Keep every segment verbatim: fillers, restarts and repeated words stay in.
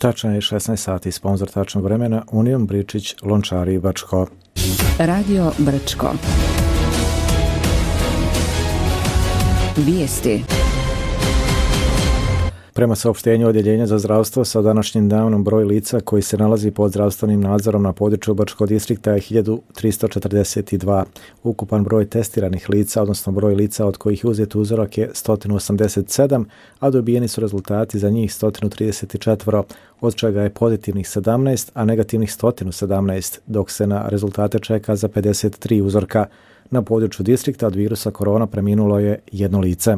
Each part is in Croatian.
Tačno je šesnaest sati, sponzor tačnog vremena Unijom Bričić Lončari Brčko. Radio Brčko. Vijesti. Prema saopštenju Odjeljenja za zdravstvo, sa današnjim danom broj lica koji se nalazi pod zdravstvenim nadzorom na području Brčkog distrikta je hiljadu tristo četrdeset dva. Ukupan broj testiranih lica, odnosno broj lica od kojih je uzet uzorak je sto osamdeset sedam, a dobijeni su rezultati za njih sto trideset četiri, od čega je pozitivnih sedamnaest, a negativnih sto sedamnaest, dok se na rezultate čeka za pedeset tri uzorka. Na području distrikta od virusa korona preminulo je jedno lice.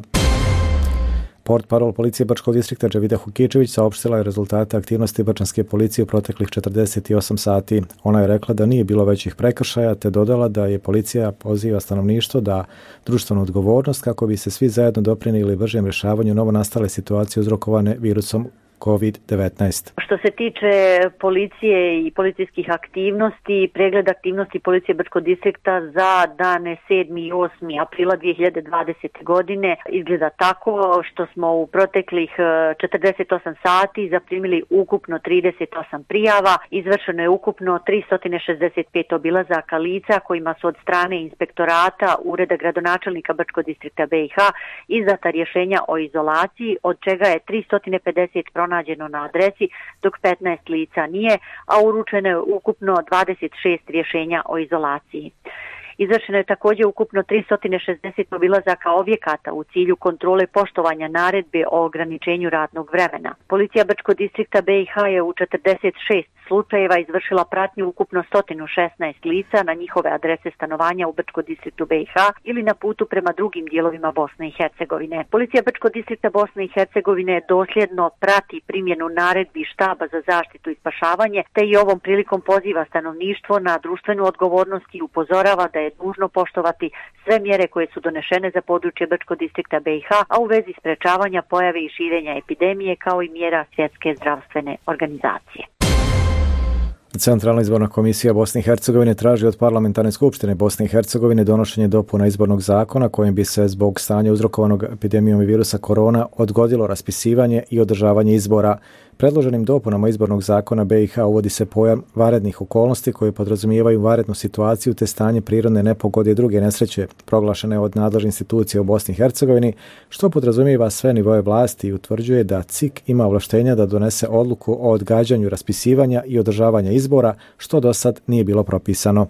Portparol policije Brčkog distrikta Dževida Hukičević saopštila je rezultate aktivnosti brčanske policije u proteklih četrdeset osam sati. Ona je rekla da nije bilo većih prekršaja, te dodala da je policija poziva stanovništvo da društvenu odgovornost kako bi se svi zajedno doprinijeli bržem rješavanju novonastale situacije uzrokovane virusom kovid devetnaest. Što se tiče policije i policijskih aktivnosti, pregled aktivnosti policije Brčkog distrikta za dane sedmi i osmi aprila dvije hiljade dvadesete. godine izgleda tako što smo u proteklih četrdeset osam sati zaprimili ukupno trideset osam prijava, izvršeno je ukupno tristo šezdeset pet obilazaka lica kojima su od strane inspektorata Ureda gradonačelnika Brčkog distrikta B i H izdata rješenja o izolaciji, od čega je tristo pedeset pronađeno na adresi, dok petnaest lica nije, a uručeno je ukupno dvadeset šest rješenja o izolaciji. Izvršeno je također ukupno tristo šezdeset obilazaka objekata u cilju kontrole poštovanja naredbe o ograničenju radnog vremena. Policija Brčkog distrikta B i H je u četrdeset šest slučajeva izvršila pratnju ukupno sto šesnaest lica na njihove adrese stanovanja u Brčkom distriktu B i H ili na putu prema drugim dijelovima Bosne i Hercegovine. Policija Brčkog distrikta Bosne i Hercegovine dosljedno prati primjenu naredbi štaba za zaštitu i spašavanje, te i ovom prilikom poziva stanovništvo na društvenu odgovornost i upozorava da je dužno poštovati sve mjere koje su donešene za područje Brčkog distrikta B i H, a u vezi sprečavanja pojave i širenja epidemije kao i mjera Svjetske zdravstvene organizacije. Centralna izborna komisija Bosne i Hercegovine traži od Parlamentarne skupštine Bosne i Hercegovine donošenje dopuna izbornog zakona kojim bi se zbog stanja uzrokovanog epidemijom virusa korona odgodilo raspisivanje i održavanje izbora. Predloženim dopunama izbornog zakona B i H uvodi se pojam vanrednih okolnosti koje podrazumijevaju vanrednu situaciju te stanje prirodne nepogode i druge nesreće proglašene od nadležnih institucija u Bosni i Hercegovini, što podrazumijeva sve nivoe vlasti i utvrđuje da C I K ima ovlaštenja da donese odluku o odgađanju raspisivanja i održavanja izbora, što do sad nije bilo propisano.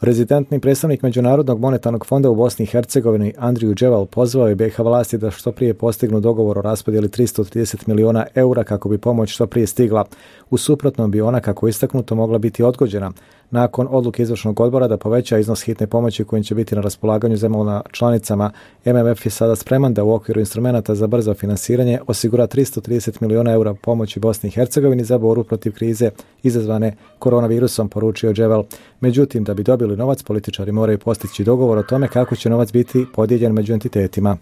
Rezidentni predstavnik Međunarodnog monetarnog fonda u Bosni i Hercegovini Andriju Dževal pozvao je B i H vlasti da što prije postignu dogovor o raspodjeli tristo trideset miliona eura kako bi pomoć što prije stigla. U suprotnom bi ona, kako istaknuto, mogla biti odgođena. Nakon odluke izvršnog odbora da poveća iznos hitne pomoći kojim će biti na raspolaganju zemljama članicama, M M F je sada spreman da u okviru instrumenata za brzo finansiranje osigura tristo trideset miliona eura pomoći Bosni i Hercegovini za borbu protiv krize izazvane koronavirusom, poručio Dževal. Međutim, da bi dobili novac, političari moraju postići dogovor o tome kako će novac biti podijeljen među entitetima.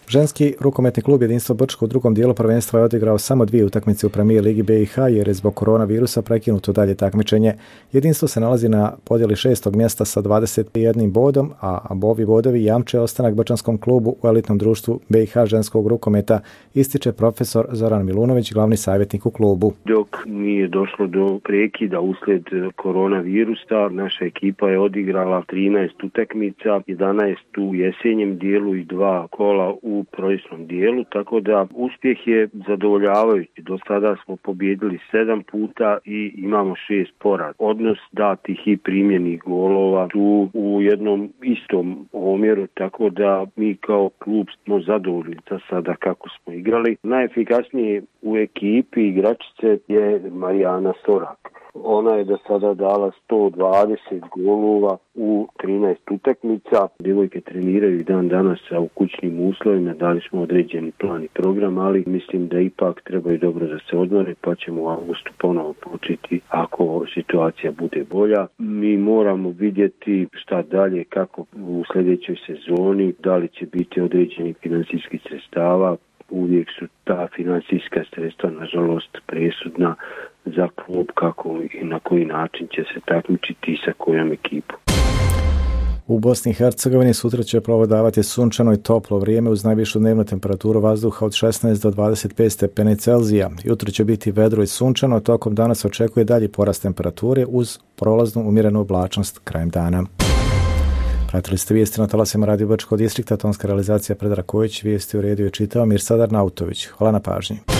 Ženski rukometni klub Jedinstvo Brčko u drugom dijelu prvenstva je odigrao samo dvije utakmice u Premier ligi B i H jer je zbog koronavirusa prekinuto dalje takmičenje. Jedinstvo se nalazi na podjeli šestog mjesta sa dvadeset jednim bodom, a ovi bodovi jamče ostanak brčanskom klubu u elitnom društvu B i H ženskog rukometa, ističe profesor Zoran Milunović, glavni savjetnik u klubu. Dok nije došlo do prekida uslijed koronavirusa, naša ekipa je odigrala trinaest utakmica, jedanaest u jesenjem dijelu i dva kola u u proljetnom dijelu, tako da uspjeh je zadovoljavajući. Do sada smo pobijedili sedam puta i imamo šest poraza. Odnos datih i primljenih golova su u jednom istom omjeru, tako da mi kao klub smo zadovoljni za sada kako smo igrali. Najefikasnije u ekipi igračice je Marijana Sorak. Ona je do sada dala sto dvadeset golova u trinaest utakmica. Djevojke treniraju dan danas u kućnim uslovima, dali smo određeni plan i program, ali mislim da ipak trebaju dobro da se odmore, pa ćemo u avgustu ponovo početi ako situacija bude bolja. Mi moramo vidjeti šta dalje, kako u sljedećoj sezoni, da li će biti određenih financijskih sredstava. Uvijek su ta financijska sredstva nažalost presudna za klub kako i na koji način će se takmičiti i sa kojom ekipom. U Bosni i Hercegovini sutra će provladavati sunčano i toplo vrijeme uz najvišu dnevnu temperaturu vazduha od šesnaest do dvadeset pet stepeni Celzija. Jutro će biti vedro i sunčano, tokom dana se očekuje dalji porast temperature uz prolaznu umjerenu oblačnost krajem dana. Pratili ste vijesti na talasima Radio Brčkog distrikta, tonska realizacija Predrag Kojić, vijesti u redu je čitao Mirsad Arnautović. Hvala na pažnji.